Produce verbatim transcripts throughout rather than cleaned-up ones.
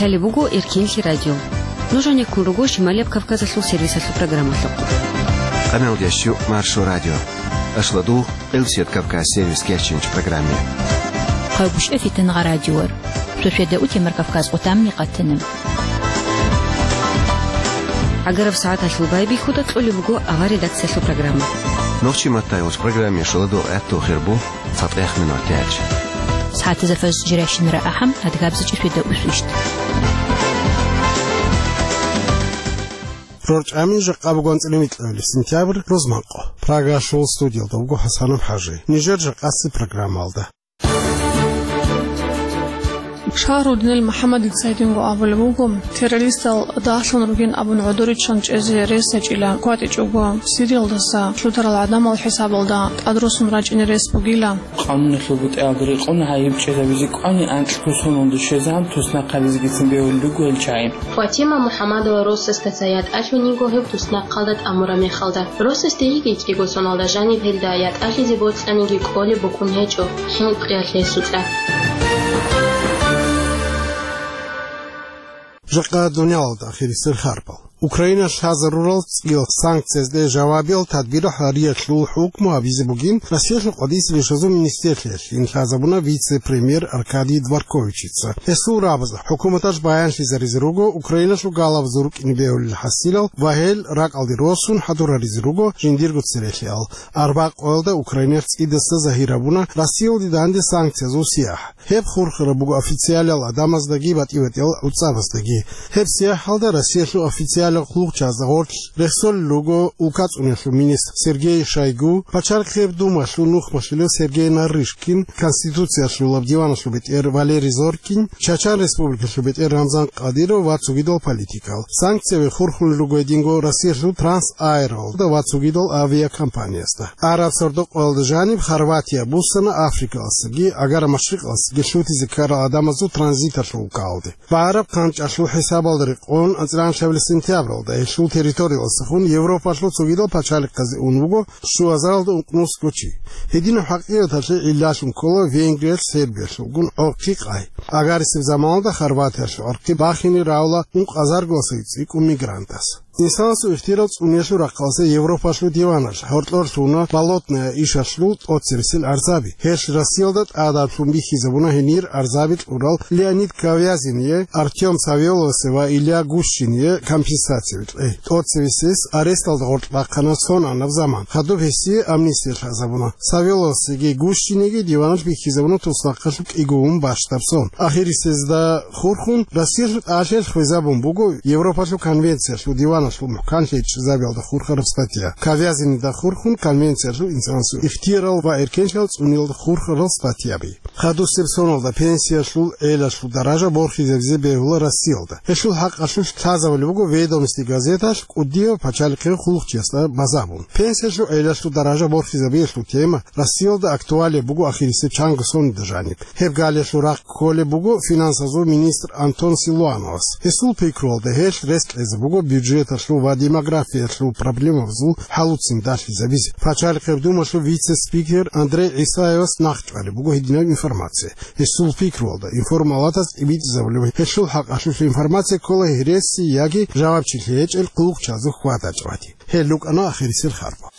Гьале буго Эркенлъи радио. Нуж гьанеккун руго Шималияб Кавказалъул сервисалъул программалъухъ. Къамел ящу Маршо радио. Ашладу Элсият Кавказ сервис кеченч программе. Хъайгушев Фитнагъа радиор. Сосиеда утемар Кавказ къутамни къатана. Агараб сагӀаталъул байбихьуда кьолеб буго авар редакциялъул программа. Нохчи маттайгъуш программе шуладу гӀатту хирбу. ЦатӀех минут яч. СагӀатазда фаз жиращинара ахӀам, адгабза чӀисвида усвищт. РорчӀами жакъа бугонцӀили микьабили сентябрь рузманкъо. Прагашул студиялда вуго ХӀасанов ХӀажи. Нижер жакъаси программалда. Шагьрудинил МухӀаммадица гьединго абулеб буго, террористал дагьлъун ругин абун гӀодоричан чӀезе рес гьечӀила, кватӀичӀого Сириялдаса лъутарал гӀадамал хӀисабалда тӀадросун рачӀине рес бугила. Къануналъул бутӀаялда рекъон гьайиб чӀезабизе кӀвани анкьго соналда щвезан туснахъабизегицин бегьулел руго гьел чагӀи. Фатима МухӀаммадова росасда цай ятӀалъун йиго гьеб туснахъалда тӀамураб мехалда. Росасде йигей кӀиго соналда жаниб гьелда ятӀалъизе бокьаниги кӀолеб букӀун гьечӀо, хӀинкъиялъ гьесукьа. Жакъа дуниялалда ахирисел харбал. Украиналъ лъазарурал цӀиял санкциязде жавабиял тадбирал гьариялъул хӀукму гьабизе бугин Россиялъул къватӀиса ришазул министрлъиялъ. Ин лъазабуна вице-премьер Аркадий Дворковичица. Гьесул рабазда хӀукуматалъ баянлъизаризе руго Украиналъул галабазул рукӀине бегьулел хӀасилал ва гьел ракӀалде росун хӀадураризе руго жиндирго церехиал. Арба къоялда Украиналъ цӀидаса загьир гьабуна Россиялде данде санкциязул сияхӀ. Гьеб хурхараб буго официалал гӀадамаздаги батӀи-батӀиял гӀуцӀабаздаги. Гьеб сияхӀалда Россиялъул официалал хъулухъчазда гъорлъ рехсолел руго улкацӀунелъул министр Сергей Шойгу, Пачалихъеб Думалъул нухмалъулев Сергей Нарышкин, Конституциялъулаб диваналъул бетӀер Валерий Зоркин, Чачан Республикалъул бетӀер Рамзан Кадиров ва цогидал политикал. Санкцияби хурхулел руго гьединго Россиялъул Трансаэралда ва цогидал авиакомпаниязда. Араб сордо къоялда жаниб Хорватия буссана Африкалъасаги Агара-Машрикъалъасаги лъутизе ккарал гӀадамазул транзиталъул улкалде. БагӀараб хъанчӀалъул хӀисабалда рекъон, анцӀила анлъабилеб сентябралда гьелъул территориялдасахун Европалъул цогидал пачалихъазе ун вуго щуазаралда ункънусго чи. Гьединаб хӀакъикъаталъе гӀиллалъун ккола Венгриялъ Сербиялъулгун гӀорхъи къай. Агарисеб заманалда Хорватиялъул гӀорхъи бахине равла ункъазаргоса цӀикӀкӀун мигрантас. Инсанасул ихтирал цӀуниялъул рахъалъе Европалъул диваналъ гьоркьор лъуна Болотная ишалъул тӀоцебесел арзаби. Гьелъ Россиялда тӀадаблъун бихьизабуна гьенир арзаби кьурал Леонид Ковязине, Артём Савеловасе ва Илья Гущине компенсацияби кьей. ТӀоцебесес аресталда гъоркь бахъана сонанаб заман. Хадуб гьесие амнистия лъазабуна. Савеловасеги Гущинеги диваналъ бихьизабуна туснахъалъуб кӀиго ун бащдаб сон. Ахирисезда хурхун, Россиялъул тӀалъел хвезабун буго Европалъул конвенциялъул диваналъул мухӀканлъи чӀезабиялда хурхараб статья. Ковязинеда хурхун конвенциялъул инсанасул ихтиярал ва эркенлъиялда цӀуниялда хурхарал статьяби. Хадусеб соналда пенсиялъул гӀелалъул даража борхизабизе бегьула Россиялда. Гьелъул хӀакъалъулъ лъазабулеб буго «Ведомости» газеталъ кӀудияв пачалихъе хъулухъчиясда базабун. Пенсиялъул гӀелалъул даража борхизабиялъул тема Россиялда актуалияб буго ахирисеб чанго соналда жаниб. Гьеб галиялъул рахъ кколеб буго финансазул министр Антон Силуановас. Гьесул пикруялда гьелъ рес кьезе буго бюджеталъул ва демографиялъул проблемабазул хӀалуцин далъизабизе. Пачалихъеб Думалъул вице-спикер Андрей ГӀисаевас нахъчӀвалеб буго гьединаб информация. Гьесул пикруялда, информалатаз тӀибитӀизабулеб гьелъул хӀакъалъулъ информация ккола гьереси яги жавабчилъи гьечӀел хъулухъчазул хьвада-чӀвади. Гьел рукӀана ахирисел харбал.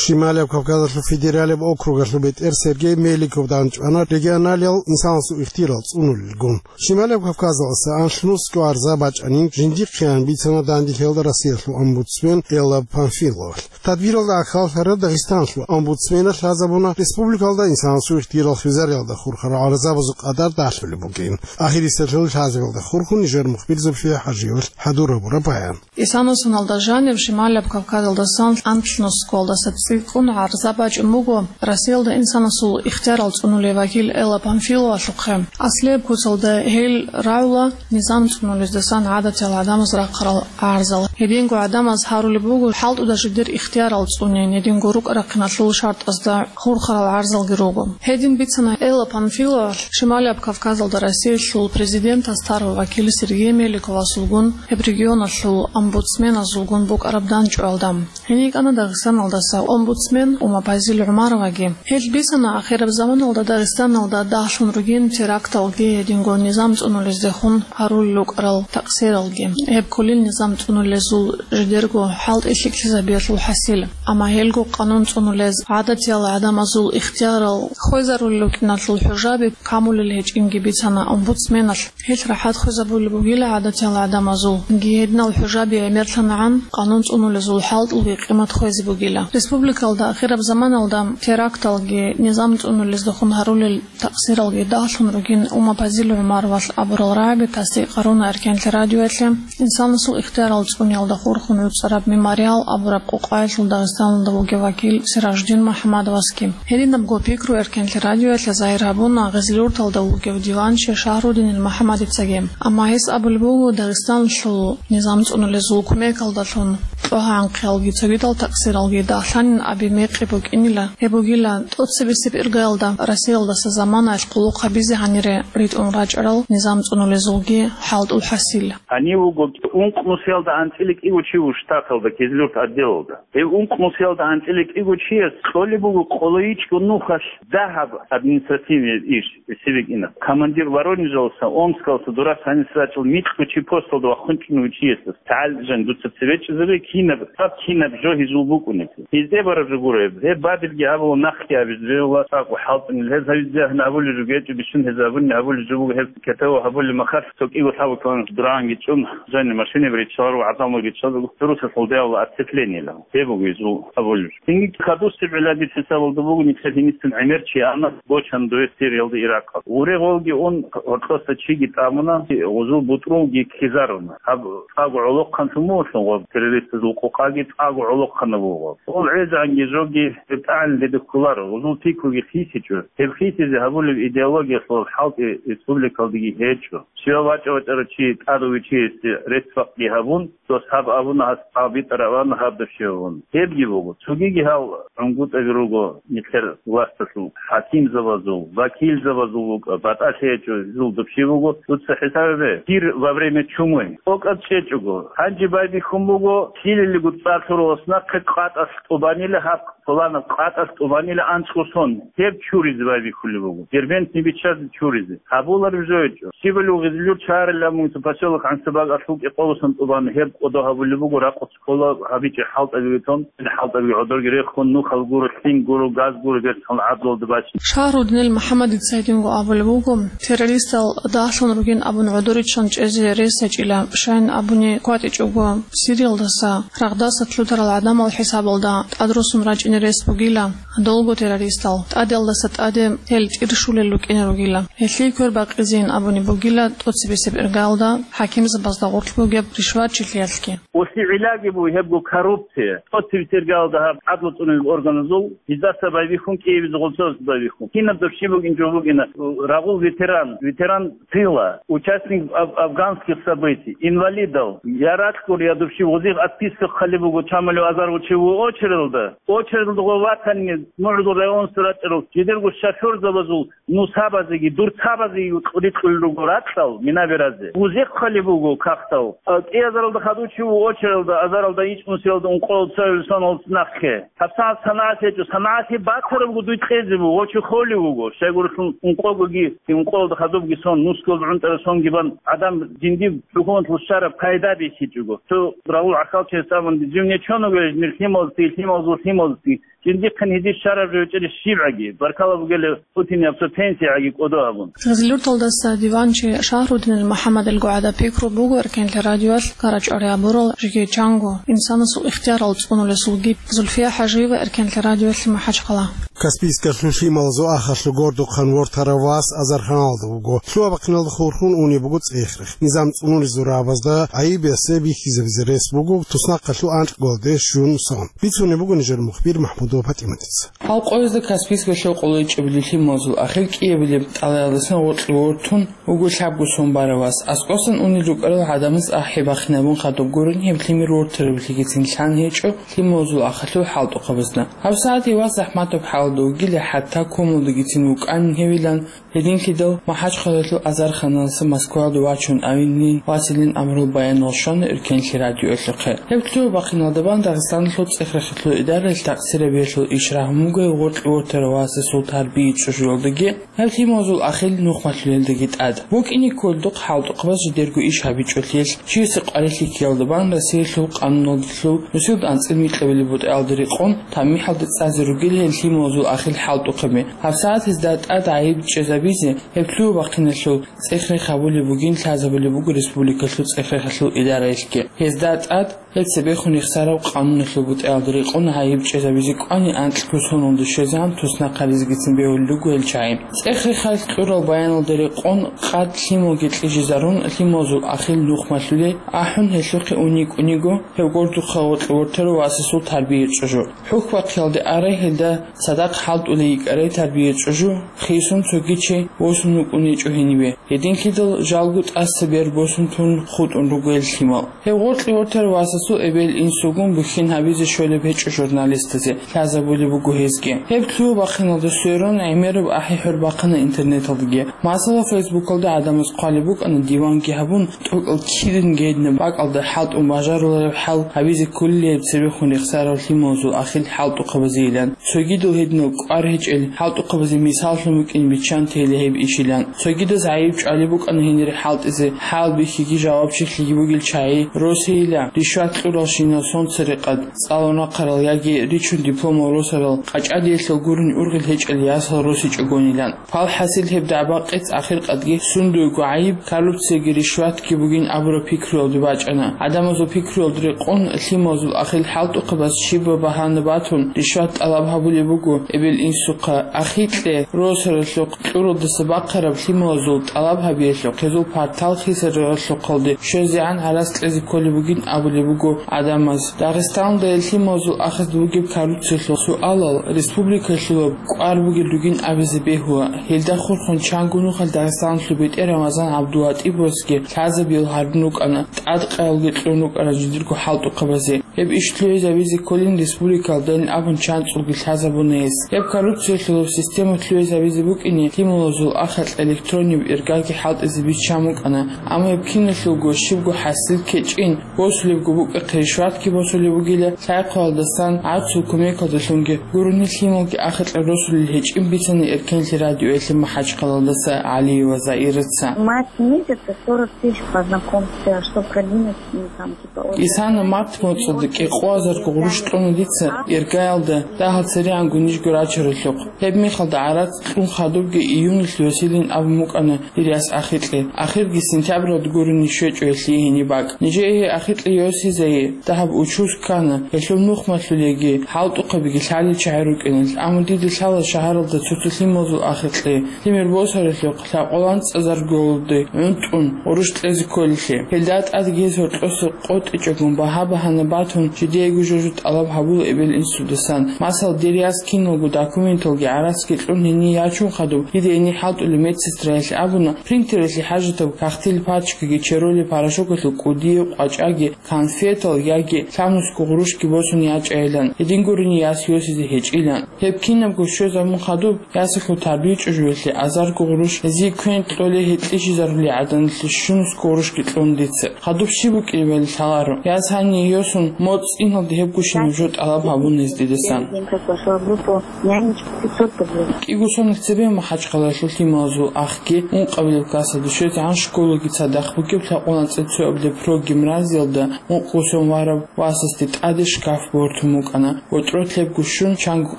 Шималияб Кавказалъул федералияб округалъул бетӀер Сергей Меликов данчӀвана регионалиял инсанасул ихтирал цӀунулелгун. Шималияб Кавказалъаса анлънусго арза бачӀанин жиндихъеян бицана данделъиялда Россиялъул омбудсмен Элла Памфиловалъ. Тадбиралда ахӀаллъараб Дагъистаналъул омбудсменалъ лъазабуна республикалда инсанасул ихтирал хвезариялда хурхарал гӀарзабазул къадар далъулеб бугин. Ахирисалъул лъазабиялда хурхун нижер мухбир Зульфия ХӀажиевалъ хӀадурабураб баян. Исана соналда жанив Шималияб Кавказалдасан анлънусгоялдаса цӀикӀкӀун гӀарза бачӀун буго Россиялда инсанасул ихтиярал цӀунулев вакил Элла Памфиловалъухъе. Аслияб куцалда гьел рагӀула низам цӀунулездасан гӀадатиял гӀадамаз рахъарал гӀарзал. Гьединго гӀадамаз гьарулеб буго хӀалтӀуда жидер ихтиярал цӀунин, гьединго рукӀа-рахъиналъул шартӀазда хурхарал гӀарзалги руго. Гьедин бицана Элла Памфиловалъ Шималияб Кавказалда Россиялъул президентас тарав вакил Сергей Меликовасулгун, гьеб регионалъул омбудсменазулгун букӀараб данчӀвалда. Гьенив йикӀана Дагъистаналдаса омбудсмен Умапазил ГӀумароваги. Гьел бицана ахираб заманалда Дагъистаналда дагьлъун ругин теракталги гьединго низам цӀунулездехун гьарулел рукӀарал такъсиралги. Гьеб кколел низам цӀунулезул жидерго хӀалтӀи лъикӀлъизабиялъул хӀасил. Амма гьелго къанун цӀунулез гӀадатиял гӀадамазул ихтиярал хвезарулел рукӀиналъул хӀужаби камулел гьечӀинги бицана омбудсменалъ. Гьелъ рахӀат хвезабулеб бугила гӀадатиял гӀадамазул. Гьединал хӀужаби гӀемерлъанагӀан, къанун цӀунулезул хӀалтӀулги къимат хвезе бугила. Республикалда ахираб заманалда теракталги низам цӀунулездехун гьарулел такъсиралги дагьлъун ругин Умапазил ГӀумаровалъ абурал рагӀаби тасдикъ гьаруна Эркенлъи радиоялъе. Инсанасул ихтиярал цӀуниялда хурхун гӀуцӀараб «Мемориал» абураб къукъаялъул Дагъистаналда вугев вакил Сиражудин МухӀаммадовасги. Гьединабго пикру Эркенлъи радиоялъе загьир гьабуна Гъизлиюрталда вугев диванчи Шагьрудинил МухӀаммадицаги. Амма гьес абулеб буго, Дагъистаналъул низам цӀунулезул кумекалдалъун кьогьанхъиялги цогидал такъсиралги дагьлъанин аби мекъи букӀинила, гьеб бугила тӀоцебесеб иргаялда Россиялдаса заманаялъ къулухъ гьабизе гьанире ритӀун рачӀарал низам цӀунулезулги хӀалтӀул хӀасил. Гьанив вуго ункънусиялда анцӀила кӀиго чи вуго штаталда, Кизлюрт отделалда. Гьев ункънусиялда анцӀила кӀиго чияс кьолеб буго къолойичӀго нухалъ дагьаб административный иш, сибик ина. Командир Воронежалса, Омскалса, Дурас гьанис рачӀул микьго чи посталда вахъун чӀунев чиясда. ТагӀал жан дуца цеве чӀезабе, кинаб, гьаб кинаб жо гьезул букӀунеб. Гьезде бараб жо гуро гьеб. Гьеб бадибги гьабула, нахъги гьабизе бегьула, цӀакъго хӀалтӀунел. Гьез гьавизе гьабулеб жо гьечӀо, бищун гьез абуни гьабулеб жо буго, гьеб кетава гьабулеб махалъ, цо кӀиго лъабго километр дуранги чӀун, жани машинаби риччаларо, гӀадамалги чӀвазаро, цо русалъул дявла оцеплениела. Гьеб буго гьезул абулеб жо. Цинги хадусеб гӀилла дир хӀисабалда буго, нилъер гьинистин гӀемер чи ана бочана дое Сириялда, Иракъалда. Уре гъолги ун, гьоркьоса чиги тӀамуна, гъузул бутӀрулги ккезаруна. Гьаб цӀакъго гӀолохъанлъун мугьулъун гъоб террористазул къукъаги цӀакъго гӀолохъанаб буго. Гъол гӀезегӀанги жоги гьеб тӀагӀинлъи гьедухъуларо, гъузул пикруги хисичӀо. Гьеб хисизе гьабулеб идеологиялъул хӀалтӀи республикалдаги гьечӀо. Щивав вачӀа-вачӀарав чи тӀадав вичиясде рецц-бакъги гьабун, дос гьаб абуна, гьас гьаб битӀараб абуна, гьаб дов щивав вун. Гьебги буго. Цогиги гьал гӀунгутӀаби руго нилъер власталъул, хӀакимзабазул, вакилзабазул вукӀа, батӀалъи гьечӀо, гьезул дов щив вуго, дуца хӀисаб гьабе, дир во время чумы тӀокӀаб чӀечӀого, гьанже байбихьун буго, лъилилего цӀар лъуралас нахъе къватӀалъ тӀубанила гьаб, пуланаб къватӀалъ тӀубанила анцӀго сон, гьеб чуризе байбихьулеб буго, дербентни биччазе чуризе. Гьабулареб жо гьечӀо. Щибали гъизлъур чарилан мунципасёлок гӀансабаг алъул кӀикъоласан тӀубан гьеб кӀодо гьабулеб буго, ракъуц ккола гьабичӀеб хӀалтӀабиги тун, хӀалтӀабиги гӀодорги рехун, нухал гуро, лъим гуро, газ гуро, берцинал гӀадлалда бачун. Шагьрудинил МухӀаммадица гьединго абулеб буго, террористал дагьлъун ругин абун гӀодоричӀан чӀезе рес гьечӀила, щайин абуни кватӀичӀого, Сириялдаса рагъдаса лъутарал гӀадамал хӀисабалда тӀадрусун рачӀине рес бугила, долго террористал тӀадалдаса тӀаде гьел тӀирщулел рукӀине ругила. Гьелъие квер бакъизейин абуни бугила тӀоцебесеб иргаялда хӀакимзабазда гъорлъ бугеб ришватчилъиялъги. Оси гӀиллаги буго гьебго коррупция. ТӀоцебесеб иргаялда гьаб гӀадлу цӀунулел органазул, гьездаса байбихьун, кӀиабизе гъолцоясда байбихьун. Кинаб дов щиб бугин жо бугина, рагъул ветеран, ветеран тыла, участник аф-, афганских событий, инвалидал, я ракьгур, я дов щиб, гъозие отписка хъалеб буго, чамалев азарго чи вуго очередалда. Очередалда гъо ватани, мугӀрузул районасда рачӀарал, жидерго шофёрзабазул нусабазеги, дурцабазеги рикьулел руго ракьал, мина беразе. Гъозие хъалеб буго кагътал. А, кӀиазаралда хадув чи вуго очередалда, азаралда ичӀнусиялда ункъоялда цоял соналда нахъе. ГьабсагӀат санагӀат гьечӀо, санагӀат гьеб батарабго дуй кьезе буго, гъо чи холев вуго, щайгурелъул ункъогоги, ункъоялда хадубги сон, нусгоялда гӀунтӀараб сонги бан, гӀадан жиндир хӀукуматалъул щвараб пайда бихьичӀого. Цо рагъул гӀахьалчияс абун, жив нечоного нир лъималазги, лъималазул лъималазги, жиндихъин гьезие щвараб жо гьечӀеб щибгӀаги, баркала бугелев Путин абцо пенсиягӀаги кӀодо абун. Гъизлъуьрталдаса диванчи Шагьрудинил МухӀаммадилго гӀадаб пикру буго Эркенлъи радиоялъ карачӀари абурал жеги чанго инсанасул ихтиярал цӀунулесулги. Зульфия ХӀажиева, Эркенлъи радиоялъе, МахӀачхъала. Каспийскалъул лъималазул ахалъув гордухъан вортарав вас азарханалда вуго. Лъугьа-бахъиналда хурхун унеб буго цӀех-рех. Низам цӀунулезул рагӀабазда гӀайиб ясаб бихьизабизе рес буго туснахъалъув анкьго де щун сон. Бицунеб буго нижер мухбир МахӀмудова ПатӀиматица. Гьал къоязда Каспийскалъул къоло ичӀабилеб лъималазул ахир кӀиабилеб тӀалаялдасан гъоркье вортун вуго лъабго сон барав вас. АскӀосан унел рукӀарал гӀадамаз ахӀи бахинабун хадуб гурин, гьеб лъимер вортараб лъикӀицин лъан гьечӀо лъималазул ахалъул хӀалтӀухъабазда. ГьабсагӀат вас захӀматаб хӀал Вугилан хӀатта комалдагицин вукӀанин гьевилан, гьединлъидал МахӀачхъалаялъул азарханалъа Москваялда вачун авинин василин амрул баянал щвана эркенлъи радиоялъухъе. Гьеб лъугьа-бахъиналда бан Дагъистаналъул цӀех-рехалъул идараялъ такъсирабиялъул ишрагь мугев гъоркье вортарав васасул тарбия чӀужуялдаги, гьеб лъималазул ахил нухмалъулелдаги тӀад. БукӀине кколдухъ хӀалтӀухъабаз жидерго иш гьабичӀолъиялъ, чиясе къварилъи ккеялда бан Россиялъул къануналдалъул нусилда анцӀил микьабилеб бутӀаялда рекъон, тамихӀалда цӀазе ругел гьел лъималазул ахил хӀалтӀухъаби. ГьабсагӀат гьезда тӀад гӀайиб чӀезабизе гьеб лъугьа-бахъиналъул цӀех-рех гьабулеб бугин лъазабулеб буго республикалъул цӀех-рехалъул идараялъги. Гьезда тӀад гьеб цебехун рехсараб къануналъул бутӀаялда рекъон гӀайиб чӀезабизе кӀвани анкьго соналда щвезегӀан туснахъализегицин бегьулел руго гьел чагӀи. ЦӀех-рехалъ кьурал баяналда рекъон къад лъималги кьижизарун, лъималазул ахил нухмалъулей ахӀун гьелъухъе уникӀуниго, гьев гъоркьухъа гъоркье вортарав васасул тарбия чӀужу. ХӀухьбахъиялде арай гьелда цадахъ хӀалтӀулей йикӀарай тарбия чӀужу, хисун цоги чи восун вукӀун гьечӀо гьениве. Гьединлъидал жалго тӀаса бер босун тун хутӀун руго гьел лъимал. Гьев гъоркье вортарав васасул эбел-инсугун бухьин гьабизе щолеб гьечӀо журналистазе, лъазабулеб буго гьезги. Гьеб лъугьа-бахъиналда сверун гӀемераб ахӀи-хӀур бахъана интернеталдаги. Масала, Фейсбукалда гӀадамаз хъвалеб букӀана диванги гьабун, тӀокӀал киданги гьединаб бакӀалда хӀалтӀун бажарулареб хӀал гьабизе кколилеб цебехун рехсарав лъималазул ахил хӀалтӀухъабазейилан. Цогидал гьединал кӀвар гьечӀел хӀалтӀухъабазе мисаллъун букӀин биччан тейила гьеб ишилан. Цогидаз гӀайиб чӀвалеб букӀана гьенире хӀалтӀизе, хӀалбихьиги жавабчилъиги бугел чагӀи росейила, ришват кьуралщинал сонцарекъад, цӀалун рахъарал яги ричун дипломал росарал, къачӀадиялъал гурин ургъел гьечӀел ясал росичӀогонилан. Пал хӀасил гьеб дагӀба-къец ахиркъадги сундуего гӀайиб, коррупцияги ришватги бугин абураб пикруялде бачӀана. ГӀадамазул пикруялда рекъон, лъималазул ахил хӀалтӀухъабаз щибаб багьана батун, ришват тӀалаб гьабулеб буго, эбел-инсухъа, ахикье, росаралъухъ, кьуралдаса бахъараб лъималазул тӀалаб гьабиялъухъ, гьезул партал хисаралъухъалде щвезегӀан гӀарац кьезе кколеб бугин абулеб буго гӀадамаз. Дагъистаналда гьел лъималазул ахазда бугеб коррупциялъул суалал республикалъулаб кӀвар бугел ругин абизе бегьула. Гьелда хурхун чанго нухалъ Дагъистаналъул бетӀер Рамазан ГӀабдулатӀиповасги лъазабиял гьарун рукӀана, тӀадкъаялги кьун рукӀана жиндирго хӀалтӀухъабазе. Гьеб иш лъугӀизабизе кколин республикалдайин абун чанцӀулги лъазабуна гьес. Гьеб коррупциялъулаб система лъугӀизабизе букӀине лъималазул ахикь электронниб иргаги хӀалтӀизе биччан букӀана, амма гьеб киналъулго щибго хӀасил ккечӀин, босулебго букӀахъе ришватги босулеб бугила, лъай-хъвалдасан гӀарцул кумекалдалъунги гурони лъималги ахикьа росулел гьечӀин бицана эркенлъи радиоялъе МахӀачхъалаялдаса ГӀалиева Заираца. Март месяца сорок тысяч по знакомству, а что продвинуть, ну, там, типа, очень... Исана март моцӀалда кӀикъоазарго гъурущ кьуна дица иргаялда, дагьал церегӀанго нижго рачаралъухъ. Гьеб мехалда гӀарац кьун хадубги июнилъ йосилин абун букӀана дир яс ахикье. Ахирги сентябралда гурони щвечӀо гьелъие гьениб бакӀ. Нижее гьей ахикье йосизае дагьаб учуз ккана, гьелъул нухмалъулеги, хӀалтӀухъабиги лъалел чагӀи рукӀиналъ, амма дида лъала шагьаралда цо-цо лъималазул ахикье, лъимер босаралъухъ, лъакъолан цӀазаргулде гӀунтӀун гъурущ кьезе кколелъе. Гьелда тӀадги гьез гьоркьоса къотӀичӀогун багьа-багьана батун, жидеего жо-жо тӀалаб гьабула эбел-инсудасан. Масала, дир яс киналго документалги гӀарацги кьун гьение ячун хадуб, дида гьенир хӀалтӀулев медсестраялъе абуна, принтералъе хӀажатаб кагътил пачкаги, черолеб порошокалъул кӀудияв къвачӀаги, конфетал яги лъабнусго гъурущги босун ячӀайилан, гьедин гурони яс йосизе гьечӀилан. Гьеб кинабго щвезабун хадуб, ясалъул тарбия чӀужуялъе азарго гъурущ гьезие квен кьолей гьекьичӀезарулей гӀаданалъе щунусго гъурущги кьун дица. Хадуб щиб букӀинебали лъаларо. Яс гьание йосун, моцӀ цӀиналде гьеб гушинаб жо тӀалаб гьабун гьез дидасан. День как вошла в группу, нянечка пятьсот рублей. КӀиго сонал цебе МахӀачхъалаялъул лъималазул ахги ункъабилеб классалде щвезегӀан школаги цадахъ бугеб лъакъун анцӀила цоабилеб прогимназиялда ункъго сон вараб васасде тӀаде шкаф бортун букӀана. ГъотӀрот лебго щун, чанго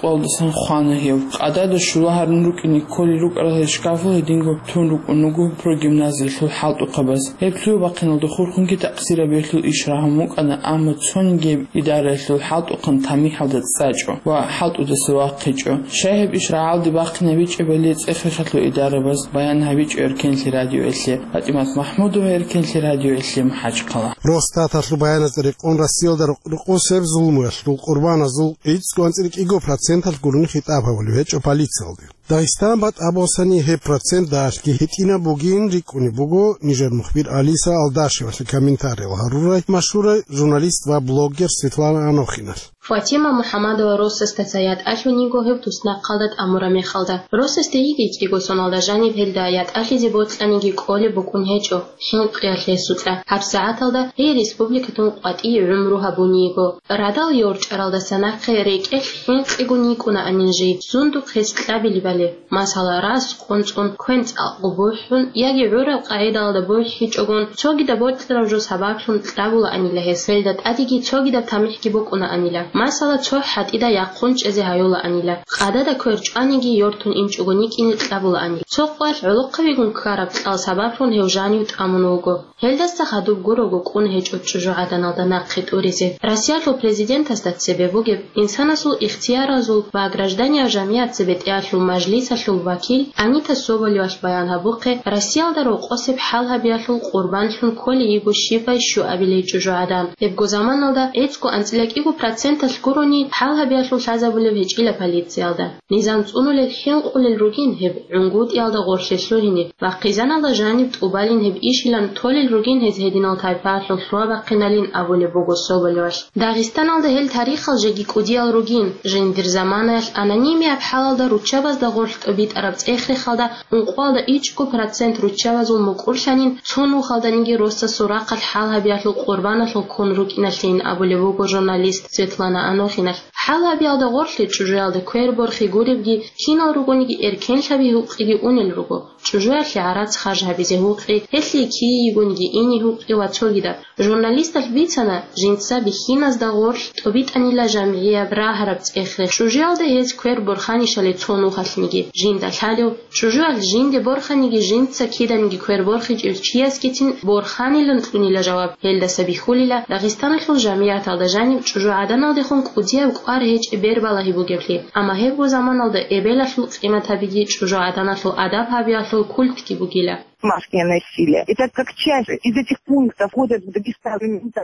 къоялдасан хвана гьев. Къадада щула гьарун рукӀине кколел рукӀарал гьел шкафал гьединго тун рукӀун руго прогимназиялъул хӀалтӀухъабаз. Гьеб лъугьа-бахъиналда хурхунги такъсирабиялъул иш рагьун букӀана, амма цониги гьеб идараялъул хӀалтӀухъан тамихӀалда цӀачӀо ва хӀалтӀудаса вахъичӀо. Щай гьеб иш рагӀалде бахъинабичӀебали цӀех-рехалъул идарабаз баян гьабичӀо эркенлъи радиоялъе. ПатӀимат МахӀмудова, эркенлъи радиоялъе, МахӀачхъала. Росстаталъул баяназда рекъон, Россиялда рукъ-, рукъусеб зулмуялъул къурбаназул гӀицӀго анцӀила кӀиго проценталъ гурони хитӀаб гьабулеб гьечӀо полициялде. Дагъистан батӀа босани гьеб процент дагьалъги гьитӀинаб бугин рикӀкӀунеб буго нижер мухбир Алиса Алдашевалъе комментариял гьарурай машгьурай журналист ва блогер Светлана Анохиналъ. Фатима МухӀаммадова росасда цо ятӀалъун йиго гьев туснахъалда тӀамураб мехалда. Росасде йигей кӀиго соналда жаниб гьелда ятӀалъизе бокьаниги кӀолеб букӀун гьечӀо. ХӀинкъиялъ гьесукьа. ГьабсагӀаталда гьей республикатун къватӀие гӀумру гьабун йиго. Радал йорчӀаралдаса нахъе рекӀелъ хӀинкъигун йикӀунаанин жив, сундухъ гьес кьабилебали. Масала, рас къунцӀун, квен цӀакъго бухӀун яги гӀураб къагӀидалда бухӀичӀогон, цогидаб бокьараб жо сабаблъун кьабулаанила гьес, гьелда тӀадеги цогидаб тамихӀги букӀунаанила. Масала, цо хӀатӀида яхъун чӀезе гьаюлаанила. Къадада квер чӀваниги йортун инчӀого йикӀине кьабулаанила. Цо къвалъ гӀолохъабигун ккараб кьал сабаблъун гьев жанив тӀамун вуго. Гьелдаса хадуб гурого кӀун гьечӀо чӀужугӀаданалда нахъе тӀуризе. Россиялъул президентасда цебе бугеб, инсанасул ихтияразул ва гражданиял жамигӀат цебе тӀеалъул мажлисалъул вакил Анита Соболевалъ баян гьабухъе, Россиялда рокъосеб хӀалгьабиялъул къурбанлъун кколей йиго щибай щуабилей чӀужугӀадан. Гьебго заманалда гӀицӀго анцӀила кӀиго проценталъ гурони хӀалгьабиялъул лъазабулеб гьечӀила полициялда. Низам цӀунулел хӀинкъулел ругин гьеб гӀунгутӀиялда гъорлъе лъугьине ва хъизаналда жаниб тӀубалин гьеб ишилан толел ругин гьез гьединал тайпаялъул лъугьа-бахъиналин абулеб буго Соболевалъ. Дагъистаналда гьел тарихал жеги кӀудиял ругин. Жиндир заманаялъ анонимияб хӀалалда руччабазда гъорлъ тӀобитӀараб цӀех-рехалда ункъоялда ичӀго процент руччабазул мукӀурлъанин цо нухалданиги росасул рахъалъ хӀалгьабиялъул къурбаналъул ккун рукӀиналъин абулеб буго журналист Светлана Анохиналъ. ХӀалгьабиялда гъорлъе чӀужуялда квер борхи гуребги, кинал ругониги эркенлъаби гьукъиги унел руго. ЧӀужуялъе гӀарац харж гьабизе гьукъи, гьелъие кие йигониги ине гьукъи ва цогидаб. Журналисталъ бицана, жинца бихьиназда гъорлъ тӀобитӀанила жамгӀияб рагьараб цӀех-рех. ЧӀужуялда гьез квер борханищали цо нухалъниги жинда лъалев, чӀужуялъ жинде борханиги жинца киданиги квер борхичӀев чиясгицин борханилан кьунила жаваб. Гьелдаса бихьулила, Дагъистаналъул жамигӀаталда жаниб чӀужугӀаданалдехун кӀудияб кӀвар гьечӀеб бер балагьи бугеблъи, амма гьебго заманалда эбелалъул къиматабиги чӀужугӀаданалъул адаб гьабиялъул культги бугила. Домашнее насилие. Это как часть из этих пунктов входят в Дагестан.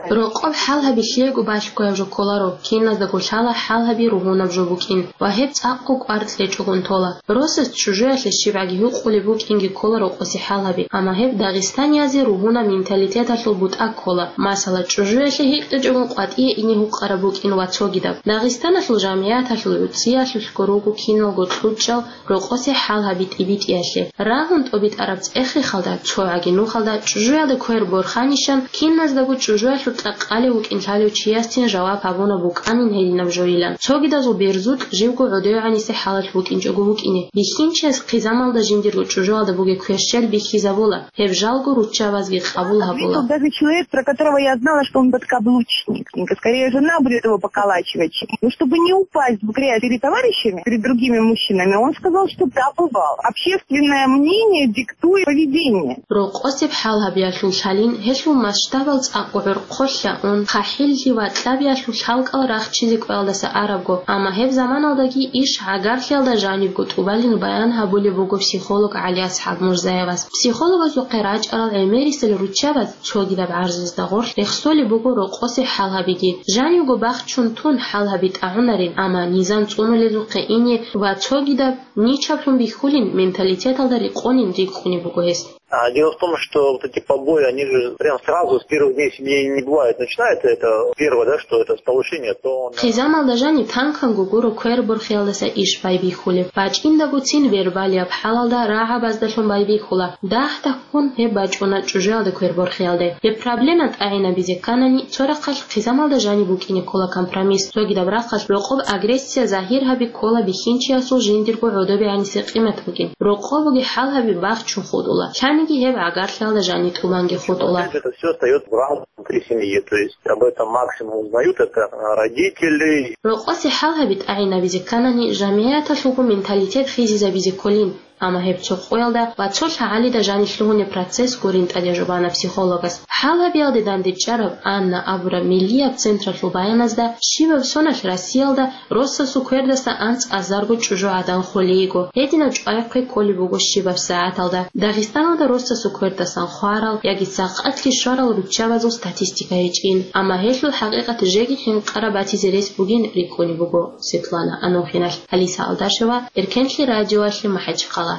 Рокъоб хӀалгьаби лъиего балъгояб жо кколаро, киназдаго лъала хӀалгьаби ругьунаб жо букӀин ва гьеб цӀакъго кӀвар кьечӀогун тола. Росас чӀужуялъе щибгӀаги гьукъулеб букӀинги ккола рокъосе хӀалгьаби, амма гьеб дагъистаниязе ругьунаб менталитеталъул бутӀа ккола. Масала, чӀужуялъе гьикъичӀогун къватӀие ине гьукъараб букӀин ва цогидаб. Дагъистаналъул жамигӀаталъул гӀуцӀиялъулъго руго киналго кьучӀал рокъосе хӀалгьаби тӀибитӀиялъе. Рагьун тӀобитӀараб цӀех-рехалда, цогӀаги нухалда чӀужуялда квер борханищан, киназдаго чӀужуялъул кьакъалев вукӀин лъалев чиясцин жаваб гьабуна букӀанин гьединаб жойилан. Цогидазул берзукь живго гӀодовегӀанисе хӀалалъ букӀинчӀого вукӀине, бихьинчияс хъизамалда жиндирго чӀужуялда бугеб кверщел бихьизабула, гьеб жалго руччабазги къабул гьабула. Ответил даже человек, про которого я знала, что он подкаблучник. Скорее, жена будет его поколачивать. Ну, чтобы не упасть в грязь перед товарищами, перед другими мужчинами, он сказал, что да, бывал. Общественное мнение диктует поведение. Рокъосеб хӀалгьабиялъул лъалин гьелъул масштабал цӀакъго гӀорхъолъа ун, хъахӀиллъи ва кьабиялъул лъалкӀал рахчизе кӀвелдаса арабго, амма гьеб заманалдаги иш гӀагарлъиялда жанибго тӀубалин баян гьабулеб буго психолог ГӀалиасхӀаб Мурзаевас. Психологазухъе рачӀарал гӀемерисел руччабаз цогидаб гӀарзазда гъорлъ рехсолеб буго рокъосе хӀалгьабиги. Жанивго бахчун тун хӀалгьаби тӀагӀунарин, амма низам цӀунулезухъе ине ва цогидаб ничаблъун бихьулин менталитеталда рекъонин рикӀкӀунеб буго гьес. А дело в том, что вот эти побои, они же прям сразу с первых дней семьи не бывают. Начинается это первое, да, что это с повышения тона. Хъизамалда жаниб танканго гуро квер борхиялдаса иш байбихьулеб. БачӀиндагоцин вербалияб хӀалалда рагӀабаздалъун байбихьула. Дагь-дагьккун гьеб бачӀуна чӀужуялда квер борхиялде. Гьеб проблема тӀагӀинабизе кканани, цо рахъалъ хъизамалда жаниб букӀине ккола компромисс. Цогидаб рахъалъ рокъоб агрессия загьир гьаби ккола бихьинчиясул жиндирго гӀодобегӀанисе къимат букӀин. Рокъобуги хӀалгьаби бахчун хутӀула. Лъаниги гьеб гӀагарлъиялда жани тӀубанги хутӀула. Опять же, это всё остаётся в рамках внутри семьи, то есть об этом максимум узнают это, а, родители. Рокъосе хӀалгьаби тӀагӀинабизе кканани, жамигӀаталъулго менталитет хизизабизе кколин. Амма гьеб цо къоялда ва цо лъагӀалида жанир лъугьунеб процесс гурин тӀадежубана психологас. ХӀалабиялде дандечӀараб Анна абураб миллияб централъул баяназда щибаб соналъ Россиялда росасул квердаса анцӀазарго чӀужугӀадан холейго, гьединаб чӀвайхъе кколеб буго щибаб сагӀаталда. Дагъистаналда росасул квердасан хварал яги сакъатлъи щварал руччабазул статистика гьечӀин, амма гьелъул хӀакъикъат жеги хӀинкъараб батизе рес бугин рикӀкӀунеб буго Светлана Анохиналъ. Алиса Алдашева, Эркенлъи радиоялъе, МахӀачхъала.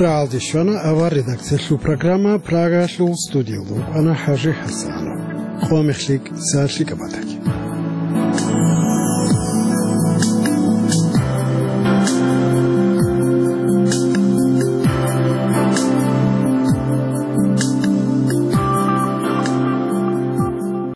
РагӀалде щвана авар редакциялъул программа. Прагаялъул студиялда вукӀана ХӀажи ХӀасанов. Къо мехлъи, са лъикӀаб батаги.